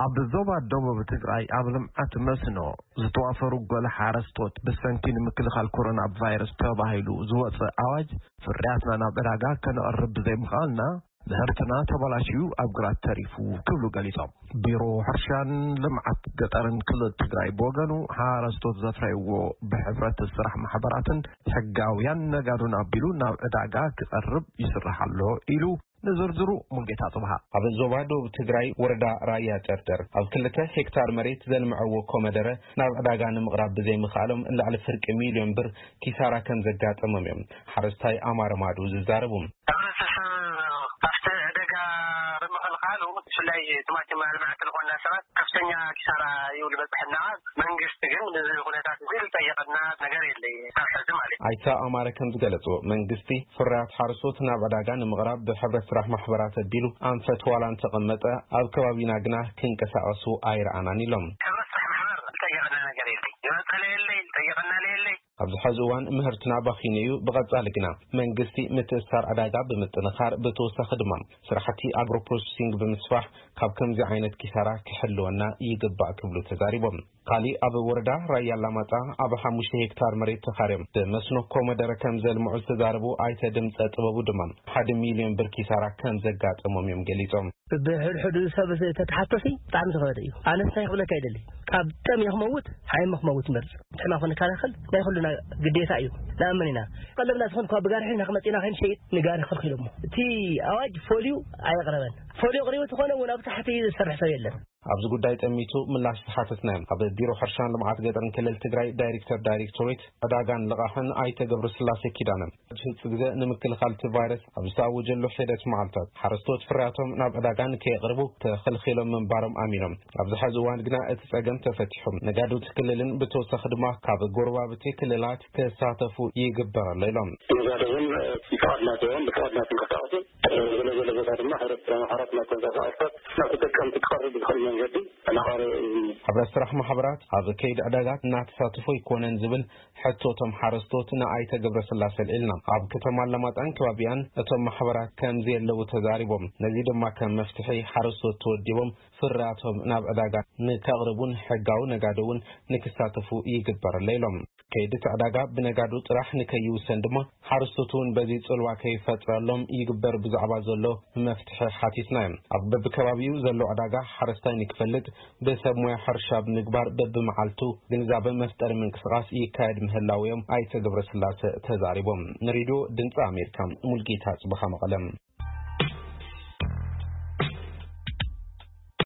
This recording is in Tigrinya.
ኣብ ዞባ ደቡብ ትግራይ ኣብ ልምዓት መስኖ ዝተዋፈሩ ገለ ሓረስቶት ብሰንኪ ንምክልኻል ኮሮና ቫይረስ ተባሂሉ ዝወፀ ኣዋጅ ፍርያትና ናብ ዕዳጋ ከነቕርብ ብዘይምኽኣልና ምህርትና ተበላሽዩ ኣብ ግራት ተሪፉ ክብሉ ገሊጾም። ቢሮ ሕርሻን ልምዓት ገጠርን ክልል ትግራይ ብወገኑ ሓረስቶት ዘፍረይዎ ብሕብረት ስራሕ ማሕበራትን ሕጋውያን ነጋዶን ኣቢሉ ናብ ዕዳጋ ክቐርብ ይስራሕ ኣሎ ኢሉ። ንዝርዝሩ ሙልጌታ ጽብሃ። ኣብ ዞባ ደቡብ ትግራይ ወረዳ ራያ ጨርደር ኣብ ክልተ ሄክታር መሬት ዘልምዐዎ ኮመደረ ናብ ዕዳጋ ንምቕራብ ብዘይምኽኣሎም ልዕሊ ፍርቂ ሚልዮን ብር ኪሳራ ከም ዘጋጠሞም እዮም ሓረስታይ ኣማረ ማዱ ዝዛረቡ። ሕብረተሰብ ኣብቲ ዕደጋ ብምኽልኻሉ ብፍላይ ቲማቲም ኣልማዕቲ ዝኾንና ሰባት ከፍተኛ ኪሳራ እዩ ዝበፅሐና። መንግስቲ ግን እዚ ኩነታት እዚ ዝጠየቐና ነገር የለይ። ካብ ሕዚ ማለት እዩ። ኣይተ ኣማረ ከም ዝገለፅዎ መንግስቲ ፍርያት ሓረስቶት ናብ ዕዳጋ ንምቕራብ ብሕብረት ስራሕ ማሕበራት ኣቢሉ ኣንፈት ዋላ እንተቐመጠ ኣብ ከባቢና ግና ክንቀሳቐሱ ኣይረኣናን ኢሎም። ሕብረት ስራሕ ማሕበር ዝጠየቐና ነገር የለይ። ዝመፀለ የለይ፣ ዝጠየቐና የለይ። ኣብዚ ሕዚ እዋን ምህርትና ባኺኑ እዩ። ብቐጻሊ ግና መንግስቲ ምትእስሳር ዕዳጋ ብምጥንኻር ብተወሳኺ ድማ ስራሕቲ ኣግሮ ፕሮሰሲንግ ብምስፋሕ ካብ ከምዚ ዓይነት ኪሳራ ክሕልወና ይግባእ ክብሉ ተዛሪቦም። ካሊእ ኣብ ወረዳ ራያ ኣላማጣ ኣብ ሓሙሽተ ሄክታር መሬት ተኻርዮም ብመስኖ ኮመደረ ከም ዘልምዑ ዝተዛረቡ ኣይተ ድምፀ ጥበቡ ድማ ሓደ ሚልዮን ብር ኪሳራ ከም ዘጋጠሞም እዮም ገሊጾም። ብሕድሕዱ ሰብ ተተሓቶሲ ብጣዕሚ ዝኸበደ እዩ። ኣነስ እንታይ ክብለካ ይደሊ፣ ካብ ጠም ክመውት ሓይመ ክመውት መርፅ። ሕማም ክንከላኸል ናይ ኩሉና ግዴታ እዩ። ንኣምን ኢና። ቀለብና ዝኾን እኳ ብጋሪ ሒዝና ክመፅና ከይንሸይጥ ንጋሪ ከልኪሎሞ። እቲ ኣዋጅ ፎልዩ ኣየቕረበን። ፎልዩ ኣቕሪቡ ተኾነ እውን ኣብ ታሕቲ ዝሰርሕ ሰብ የለን። ኣብዚ ጉዳይ ጠሚቱ ምላሽ ዝሓተትናዮም ኣብ ቢሮ ሕርሻን ልምዓት ገጠርን ክልል ትግራይ ዳይሬክተር ዳይሬክቶሬት ዕዳጋን ልቓሕን ኣይተ ገብረስላሴ ኪዳነ፣ ሕጂ ህፁ ግዜ ንምክልኻል እቲ ቫይረስ ኣብ ዝተኣወጀሉ ሒደት መዓልታት ሓረስቶት ፍርያቶም ናብ ዕዳጋ ንከየቕርቡ ተኸልኺሎም ምንባሮም ኣሚኖም። ኣብዚ ሕዚ እዋን ግና እቲ ፀገም ተፈቲሑ ነጋዶ እቲ ክልልን ብተወሳኺ ድማ ካብ ጎረባብቲ ክልላት ክሳተፉ ይግበር ኣሎ ኢሎም። ነጋዶ እውን ፍቓድ ናቶም ብፍቓድ ናቶም ክንቀሳቐሱ፣ ገለ ገለ ቦታ ድማ ሕብረት ስራሕ ማሕበራት ናብ ተንቀሳቐስታት ናብ ተጠቀምቲ ክቐርብ ብዝኽእል መንገዲ እናቐረበ እዩ። ሕብረት ስራሕ ማሕበራት ኣብ ከይዲ ዕዳጋ እናተሳተፎ ኣይኮነን ዝብል ሕቶ እቶም ሓረስቶት ንኣይተ ገብረስላሴ ኣልዒልና። ኣብ ከተማ ኣላማጣን ከባቢኣን እቶም ማሕበራት ከም ዘየለዉ ተዛሪቦም። ነዚ ድማ ከም መፍትሒ ሓረስቶት ተወዲቦም ፍርያቶም ናብ ዕዳጋ ንከቕርቡን ሕጋዊ ነጋዶ እውን ንክሳተፉ ይግበር ኣሎ ኢሎም። ከይዲ እቲ ዕዳጋ ብነጋዶ ጥራሕ ንከይውሰን ድማ ሓረስቶት እውን በዚ ጽልዋ ከይፈጥረሎም ይግበር ብዛዕባ ዘሎ መፍትሒ ሓቲትና እዮም። ኣብ በብከባቢኡ ዘሎ ዕዳጋ ሓረስታይ ንክፈልጥ ብሰብ ሞያ ሕርሻ ብምግባር በብመዓልቱ ግንዛበ መፍጠሪ ምንቅስቓስ ይካየድ ምህላው እዮም ኣይተ ገብረስላሴ ተዛሪቦም። ንሬድዮ ድምፂ ኣሜሪካ ሙልጌታ ጽብኻ መቐለም።